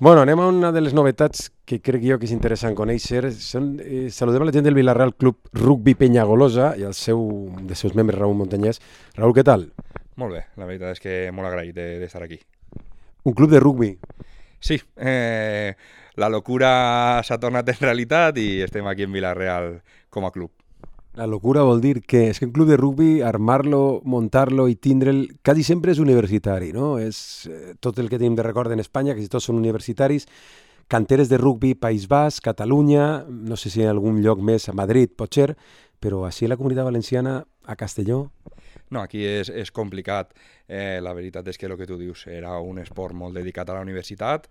Bueno, anem a una de les novetats que crec jo que és interessant conèixer. Saludem a la gent del Vilareal Club Rugby Penyagolosa i un dels seus membres, Raúl Montanyès. Raúl, què tal? Molt bé, la veritat és que molt agraït d'estar aquí. Un club de rugby. Sí, la locura s'ha tornat en realitat i estem aquí en Vila-real com a club. La locura vol dir que és que un club de rugby, armar-lo, muntar-lo i tindre'l, quasi sempre és universitari, no? Tot el que tenim de record en Espanya, que tots són universitaris, canteres de rugby, País Basc, Catalunya, no sé si en algun lloc més, a Madrid, potser, però així a la Comunitat Valenciana, a Castelló. No, aquí és complicat. La veritat és que el que tu dius era un esport molt dedicat a la universitat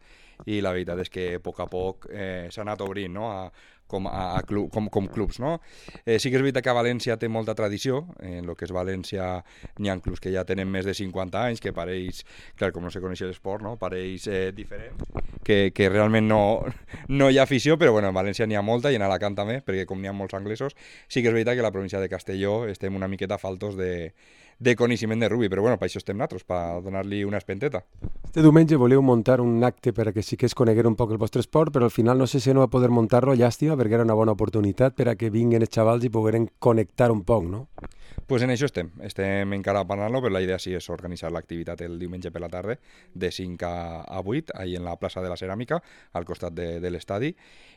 i la veritat és que a poc s'ha anat obrint, no? Com clubs, no? Sí que és veritat que València té molta tradició. En el que és València n'hi ha clubs que ja tenen més de 50 anys, que pareix, clar, com no se coneixia l'esport, no? Pareix diferent, que realment no hi ha afició, però bueno, en València n'hi ha molta i en Alacant també, perquè com n'hi ha molts anglesos, sí que és veritat que la província de Castelló estem una miqueta faltos de coneixement de rugby, però bueno, per això estem nosaltres, per donar-li una espenteta. Este diumenge voleu muntar un acte per a que sí que es coneguera un poc el vostre esport, però al final no sé si no va poder muntar-lo, llàstima, perquè era una bona oportunitat per a que vinguin els xavals i pogueren connectar un poc, no? Pues en això estem encara parlant-lo, però la idea sí és organitzar l'activitat el diumenge per la tarda, de 5 a 8, ahí en la plaça de la Ceràmica, al costat de l'estadi,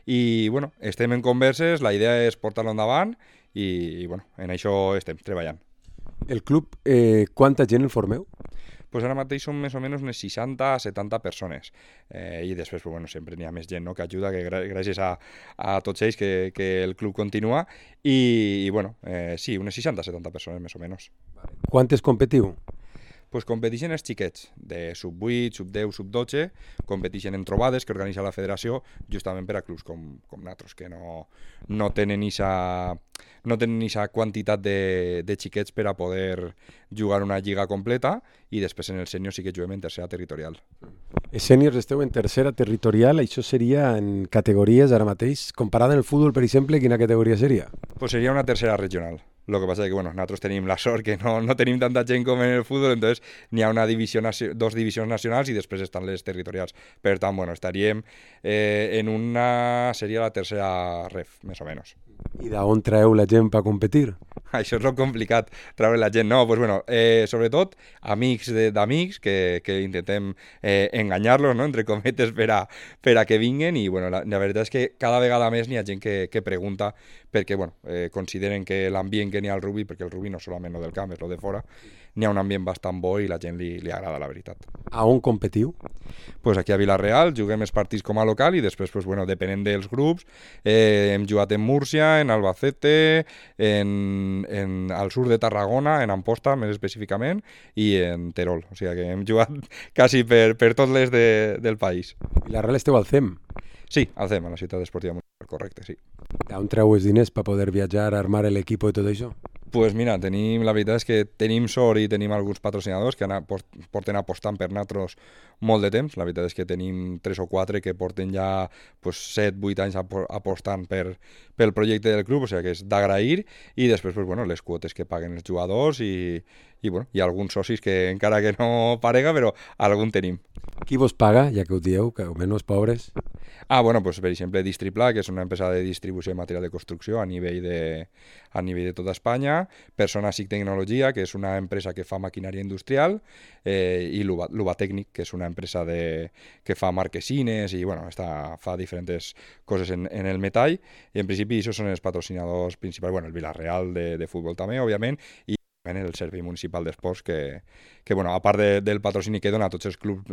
i bueno, estem en converses, la idea és portar-lo endavant, i bueno, en això estem treballant. El club, quanta gent el formeu? Pues ara mateix són més o menys unes 60 a 70 persones. I després, pues, bueno, sempre n'hi ha més gent, no?, que ajuda, que gràcies a tots ells que el club continua. I bueno, sí, unes 60 a 70 persones més o menys. Quantes competiu? Pues competeixen els xiquets de sub-8, sub-10, sub-12, competeixen en trobades que organitza la federació justament per a clubs com nosaltres, que no tenen eixa quantitat de xiquets per a poder jugar una lliga completa, i després en el sènior sí que juguem en tercera territorial. Els sèniors esteu en tercera territorial, això seria en categories ara mateix. Comparada amb el futbol, per exemple, quina categoria seria? Pues sería una tercera regional. Lo que pasa es que, bueno, nosotros tenemos la sort que no tenim tanta gent com en el futbol, entonces n'hi ha dos divisions nacionals i després estan les territorials. Per tant, bueno, estaríem en una... seria la tercera ref, més o menys. I d'on traeu la gent per competir? Això és lo complicat, treure la gent. No, pues bueno, sobretot amics d'amics que intentem enganyar-los, no?, entre cometes, per a que vinguen, i bueno, la veritat és que cada vegada més n'hi ha gent que pregunta perquè bueno, consideren que l'ambient que n'hi ha al rugby, perquè el rugby no és solament lo del camp, és lo de fora, n'hi ha un ambient bastant bo i la gent li agrada, la veritat. A on competiu? Pues aquí a Vila-real juguem els partits com a local i després, pues bueno, depenent dels grups, hem jugat en Múrcia, en Albacete, al sud de Tarragona, en Amposta més específicament, i en Terol. O sigui que hem jugat quasi per tots les del país. I la Real esteu al CEM. Sí, al CEM, a la ciutat esportiva municipal, correcte, sí. D'on treu els diners per poder viatjar, armar l'equip i tot això? Pues mira, la veritat és que tenim sort i tenim alguns patrocinadors que porten apostant per nosaltres molt de temps. La veritat és que tenim 3 o 4 que porten ja pues, 7-8 anys apostant pel projecte del club, o sigui que és d'agrair, i després pues, bueno, les quotes que paguen els jugadors i bueno, hi ha alguns socis que encara que no parega, però algun tenim. Qui vos paga, ja que ho dieu, que almenys pobres? Bueno, pues, per exemple, Distripla, que és una empresa de distribució de material de construcció a nivell de tota Espanya, Persona SIC Tecnologia, que és una empresa que fa maquinària industrial, i Luba Tècnic, que és una empresa que fa marquesines i bueno, fa diferents coses en el metall, i en principi això són els patrocinadors principals, bueno, el Vila-real de futbol també, òbviament, i el Servei Municipal d'Esports, que bueno, a part del patrocini que dona a tots els clubs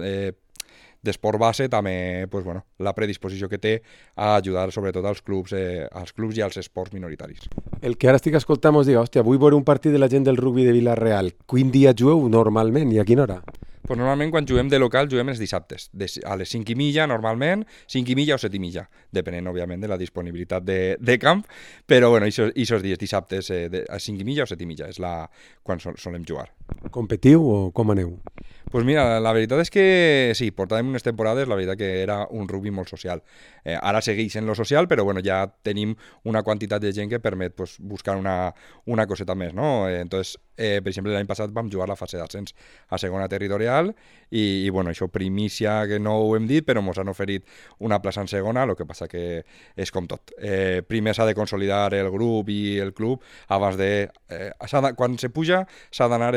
d'esport base, també pues, bueno, la predisposició que té a ajudar sobretot als clubs i als esports minoritaris. El que ara estic escoltant mos diga, hòstia, vull veure un partit de la gent del rugby de Vila-real. Quin dia jugueu normalment i a quina hora? Pues normalment quan juguem de local juguem els dissabtes, a les 5:30 normalment, 5:30 o 7:30, depenent òbviament de la disponibilitat de camp, però bueno, aquests dies dissabtes a 5:30 o 7:30 és quan solem jugar. Competiu o com aneu? Pues mira, la veritat és que sí, portàvem unes temporades, la veritat que era un rugby molt social. Ara segueix en lo social, però bueno, ja tenim una quantitat de gent que permet pues, buscar una coseta més, no? Entonces, per exemple, l'any passat vam jugar la fase d'ascens a segona territorial, social i bueno, això primícia que no ho hem dit, però ens han oferit una plaça en segona, el que passa que és com tot. Primer s'ha de consolidar el grup i el club abans de... quan se puja s'ha d'anar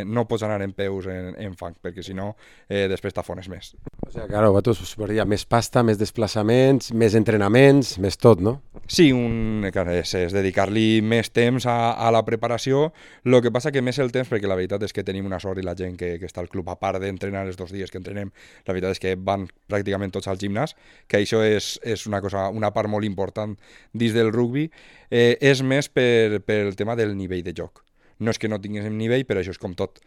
no pots anar en peus en fang, perquè si no després t'afones més. O sigui, claro, vosaltres us posaria més pasta, més desplaçaments, més entrenaments, més tot, no? Sí, és dedicar-li més temps a la preparació, el que passa que més el temps, perquè la veritat és que tenim una sort i la gent que està al club, a part d'entrenar els 2 dies que entrenem, la veritat és que van pràcticament tots al gimnàs, que això és una part molt important dins del rugbi, és més pel tema del nivell de joc. No és que no tinguéssim nivell, però això és com tot.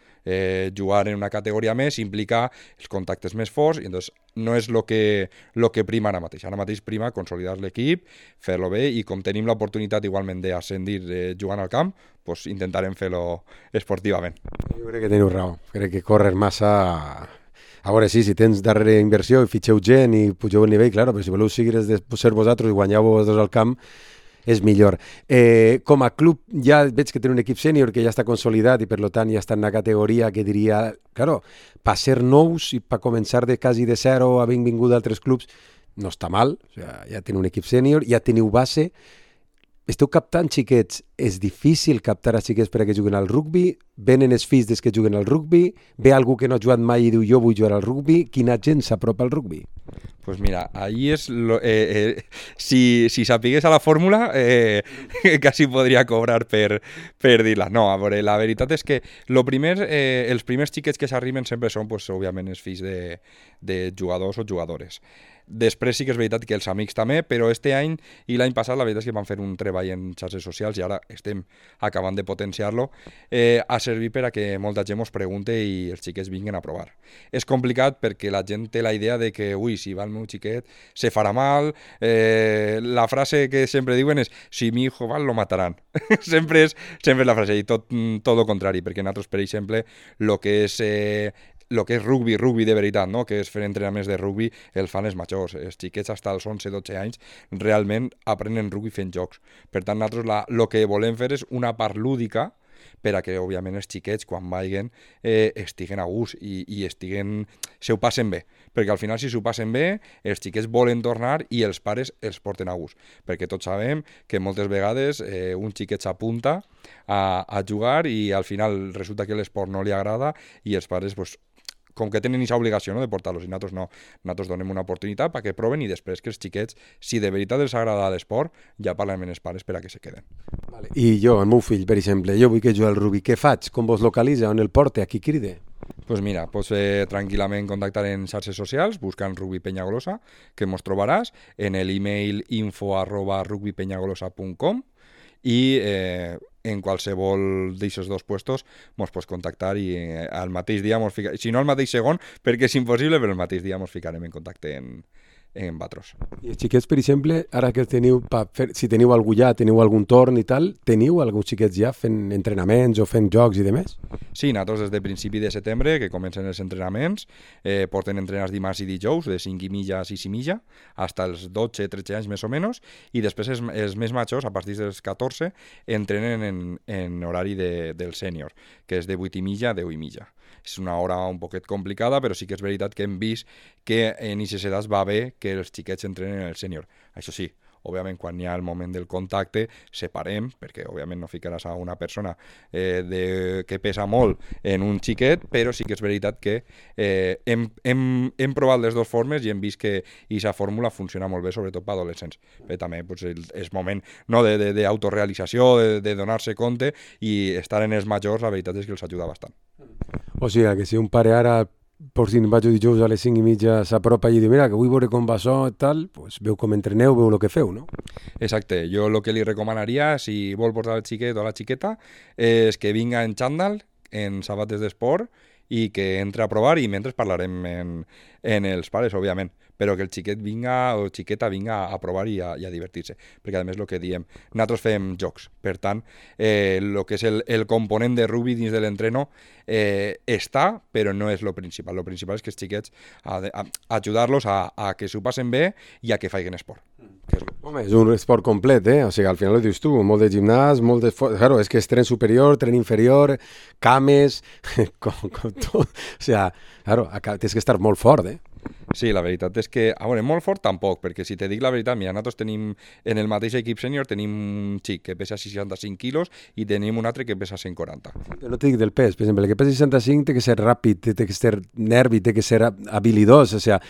Jugar en una categoria més implica els contactes més forts i doncs no és el que prima ara mateix. Ara mateix prima consolidar l'equip, fer-lo bé i com tenim l'oportunitat igualment d'ascendir jugant al camp, doncs intentarem fer-lo esportivament. Jo crec que teniu raó. Crec que córrer massa... A veure, sí, si tens darrere inversió i fitxeu gent i pugeu el nivell, claro, però si voleu seguir ser vosaltres i guanyeu vosaltres al camp, és millor. Com a club ja veig que té un equip sènior que ja està consolidat i per tant ja està en una categoria que diria, claro, per ser nous i per començar de quasi de zero havent vingut d'altres clubs no està mal, o sigui, ja teniu un equip sènior, ja teniu base. Esteu captant xiquets, és difícil captar a xiquets per a que juguen al rugbi, venen els fills des que juguen al rugbi, ve algú que no ha jugat mai i diu jo vull jugar al rugbi, quina gent s'apropa al rugbi? Pues mira, ahí es si sapigués a la fórmula quasi podria cobrar per dir-la. No, a veure, la veritat és que els primers xiquets que s'arriben sempre són, pues, òbviament, els fills de jugadors o jugadores. Després sí que és veritat que els amics també, però este any i l'any passat la veritat és que van fer un treball en xarxes socials i ara estem acabant de potenciar-lo a servir per a que molta gent ens pregunte i els xiquets vinguin a provar. És complicat perquè la gent té la idea de que, ui, si va el meu xiquet se farà mal, la frase que sempre diuen és si mi hijo va lo mataran. sempre és la frase i tot el contrari, perquè nosaltres, per exemple, el que és rugby de veritat, no? Que és fer entrenaments de rugby, el fan els majors. Els xiquets fins als 11-12 anys realment aprenen rugby fent jocs. Per tant, nosaltres el que volem fer és una part lúdica per a que, òbviament, els xiquets, quan vagin, estiguen a gust i se ho passen bé. Perquè al final, si s'ho passen bé, els xiquets volen tornar i els pares els porten a gust. Perquè tots sabem que moltes vegades un xiquet s'apunta a jugar i al final resulta que l'esport no li agrada i els pares, pues, com que tenen aquesta obligació, no, de portar-los, i nosaltres no. Nosaltres donem una oportunitat perquè proven i després que els xiquets, si de veritat els agrada l'esport, ja parlem amb els pares per a que se queden. Vale. I jo, el meu fill, per exemple, jo vull que jugui al rugby, què faig? Com vos localitza? On el porte? A qui cride? Pues mira, pots tranquil·lament contactar en xarxes socials buscant Rugby Penyagolosa, que mos trobaràs, en l'email info@rugbypenyagolosa.com i en qualsevol d'aquests 2 puestos mos pots contactar i al mateix dia si no al mateix segon, perquè és impossible, però al mateix dia mos ficarem en contacte en vosaltres. I els xiquets, per exemple, ara que teniu, si teniu algú ja, teniu algun torn i tal, teniu alguns xiquets ja fent entrenaments o fent jocs i demés? Sí, nosaltres des de principi de setembre, que comencen els entrenaments, porten entrenats dimarts i dijous, de 5 i mitja a 6 i mitja, fins als 12-13 anys més o menys, i després els més majors, a partir dels 14, entrenen en horari del sènior, que és de 8 i mitja a 10 i mitja. És una hora un poquet complicada, però sí que és veritat que hem vist que en aquestes edats va bé que els xiquets entrenen en el sènior. Això sí, òbviament, quan hi ha el moment del contacte, separem, perquè òbviament no ficaràs a una persona que pesa molt en un xiquet, però sí que és veritat que hem provat les 2 formes i hem vist que aquesta fórmula funciona molt bé, sobretot per adolescents. Però també pues, és moment, no, d'autorealització, de donar-se compte, i estar en els majors, la veritat és que els ajuda bastant. O sigui, que si un pare ara, per si vaig dijous a les 5 i mitja, s'apropa i diu, mira, que vull veure com va això i tal, pues, veu com entreneu, veu el que feu, no? Exacte. Jo el que li recomanaria, si vol portar el xiquet o la xiqueta, és que vinga en xandall, en sabates d'esport, i que entre a provar, i mentre parlarem en els pares, òbviament, però que el xiquet vinga o xiqueta vinga a provar i a divertir-se, perquè a més el que diem, nosaltres fem jocs, per tant, el que és el component de rugby dins de l'entreno està, però no és el principal. El principal és que els xiquets ajudar-los a que s'ho passen bé i a que facin esport. Que és Home, és un esport complet, eh? O sigui, al final ho dius tu, molt de gimnàs, molt de... Claro, és que és tren superior, tren inferior, cames, com tot. O sigui, claro, tens que estar molt fort, eh? Sí, la veritat és que, a veure, molt fort tampoc, perquè si te dic la veritat, mira, nosaltres tenim, en el mateix equip sènior tenim un xic que pesa 65 quilos i tenim un altre que pesa 140. Però no te dic del pes, per exemple, el que pesa 65 té que ser ràpid, té que ser nervi, té que ser habilidós, o sigui,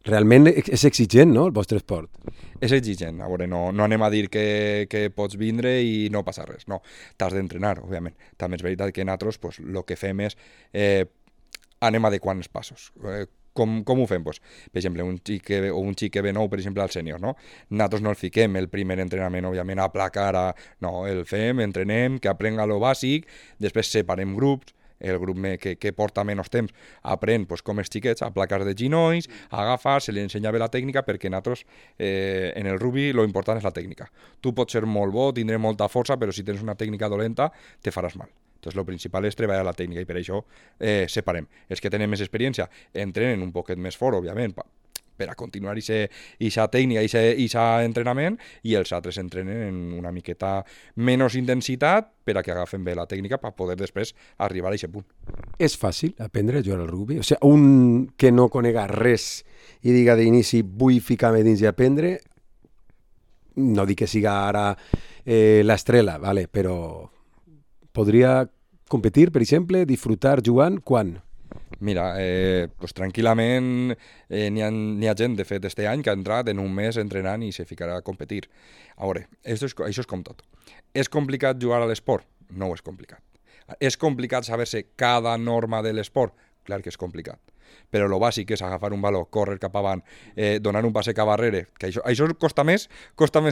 realment és exigent, no?, el vostre esport. És exigent, a veure, no anem a dir que pots vindre i no passa res, no, t'has d'entrenar, òbviament. També és veritat que nosaltres, pues, el que fem és anem adequant els passos. Com ho fem? Pues, per exemple, un xic que ve nou, per exemple, al sènior, no? Nosaltres no el fiquem el primer entrenament, òbviament, a placar, no, el fem, entrenem, que aprenga lo bàsic, després separem grups, el grup que porta menys temps aprèn pues, com els xiquets a placar de ginolls, a agafar, se li ensenya bé la tècnica, perquè nosaltres en el rugby lo important és la tècnica. Tu pots ser molt bo, tindré molta força, però si tens una tècnica dolenta te faràs mal. Entonces, lo principal és treballar la tècnica i per això separem. Els que tenen més experiència entrenen un poquet més fort, òbviament, per a continuar aquesta tècnica, aquest entrenament, i els altres entrenen en una miqueta menys intensitat per a que agafen bé la tècnica per poder després arribar a aquest punt. És fàcil aprendre a jugar al rugby? O sigui, un que no conega res i diga d'inici vull ficar-me dins i aprendre, no dic que siga ara l'estrela, vale, però podria competir, per exemple, disfrutar jugant quan? Mira, pues tranquil·lament n'hi ha gent, de fet, este any que ha entrat en un mes entrenant i se ficarà a competir. A veure, això és com tot. És complicat jugar a l'esport? No és complicat. És complicat saber-se cada norma de l'esport? Clar que és complicat. Però el bàsic és agafar un valor, córrer cap avant, donar un passe cap arrere, que això costa més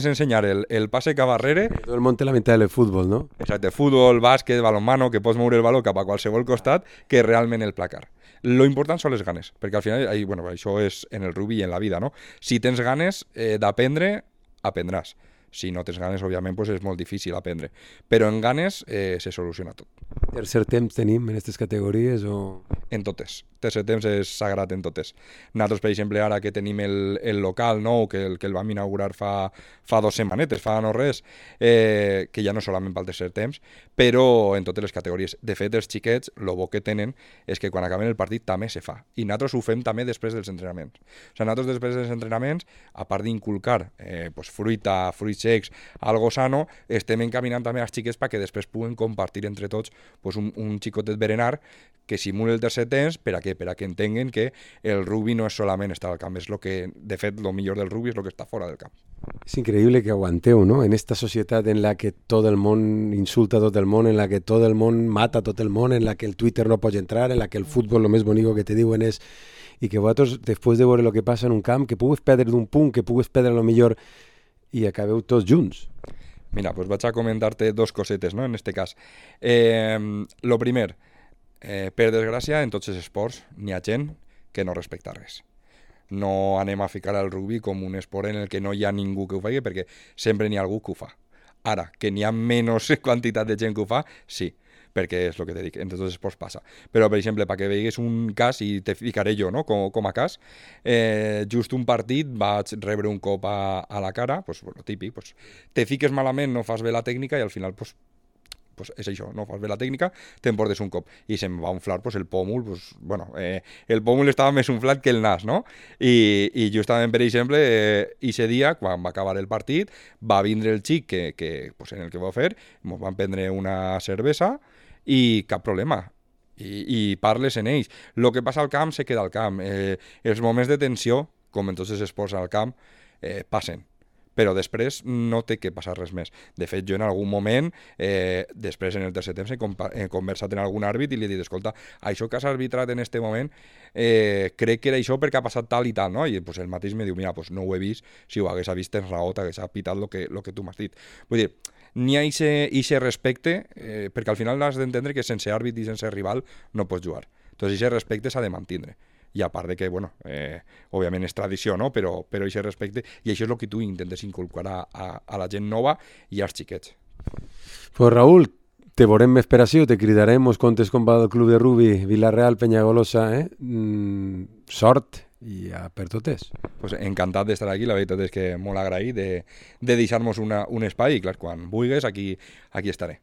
ensenyar el passe cap arrere. Tot el món té la meitat del futbol, no? Exacte, futbol, bàsquet, balonmano, que pots moure el valor cap a qualsevol costat, que realment el placar. Lo important són les ganes, perquè al final, bueno, això és en el rugby i en la vida, no? Si tens ganes d'aprendre, aprendràs. Si no tens ganes, òbviament, pues és molt difícil aprendre. Però en ganes se soluciona tot. Tercer temps tenim en aquestes categories o...? En totes. Tercer temps és sagrat en totes. Nosaltres, per exemple, ara que tenim el local nou, que el vam inaugurar fa 2 setmanetes, fa no res, que ja no solament pel tercer temps, però en totes les categories. De fet, els xiquets, el bo que tenen és que quan acaben el partit també se fa. I nosaltres ho fem també després dels entrenaments. O sigui, nosaltres després dels entrenaments, a part d'inculcar pues, fruita, fruits secs, algo sano, estem encaminant també als xiquets perquè després puguen compartir entre tots pues, un xicotet berenar que simuli el tercer temps per a que entenguen que el rugby no és solament estar al camp, és lo que, de fet, lo millor del rugby és el que està fora del camp. És increïble que aguanteu, ¿no? En esta societat en la que tot el món insulta a tot el món, en la que tot el món mata a tot el món, en la que el Twitter no pot entrar, en la que el futbol lo més bonic que te diuen és i que vosaltres, després de veure el que passa en un camp, que pugues perdre d'un punt, que pugues perdre lo millor i acabeu tots junts. Mira, pues vaig a comentar-te 2 cosetes, ¿no? En este cas. Lo primer, per desgràcia, en tots els esports n'hi ha gent que no respecta res. No anem a ficar el rugby com un esport en el que no hi ha ningú que ho faci, perquè sempre n'hi ha algú que ho fa. Ara, que n'hi ha menys quantitat de gent que ho fa, sí, perquè és el que te dic, en tots els esports passa. Però, per exemple, perquè veigues un cas, i te ficaré jo, no?, com a cas, just un partit vaig rebre un cop a la cara, pues, bueno, típic, pues, te fiques malament, no fas bé la tècnica i al final, pues és això, no fas bé la tècnica, t'emportes un cop. I se'm va inflar pues, el pòmul, pues, bueno, el pòmul estava més inflat que el nas, no? I justament, per exemple, ese dia, quan va acabar el partit, va vindre el xic pues, en el que va fer, ens van prendre una cervesa i cap problema. I parles en ells. El que passa al camp se queda al camp. Els moments de tensió, com en tots els esports al camp, passen. Però després no té que passar res més. De fet, jo en algun moment, després en el tercer temps, he conversat amb algun àrbit i li he dit, escolta, això que has arbitrat en aquest moment, crec que era això perquè ha passat tal i tal, no? I pues, el mateix me diu, mira, pues, no ho he vist, si ho hagués vist tens raó, t'hagués pitat el que tu m'has dit. Vull dir, n'hi ha aquest respecte, perquè al final has d'entendre que sense àrbit i sense rival no pots jugar. Entonces, aquest respecte s'ha de mantenir. I a part de que, bueno, òbviament és tradició, no? Però aquest respecte, i això és el que tu intentes inculcar a la gent nova i als xiquets. Pues Raúl, te veurem més per ací, te cridarem, mos contes com va el club de rugby Vila-real Penyagolosa, Sort i per totes. Pues encantat d'estar aquí, la veritat és que molt agraït de deixar-nos un espai i clar, quan vulguis aquí estaré.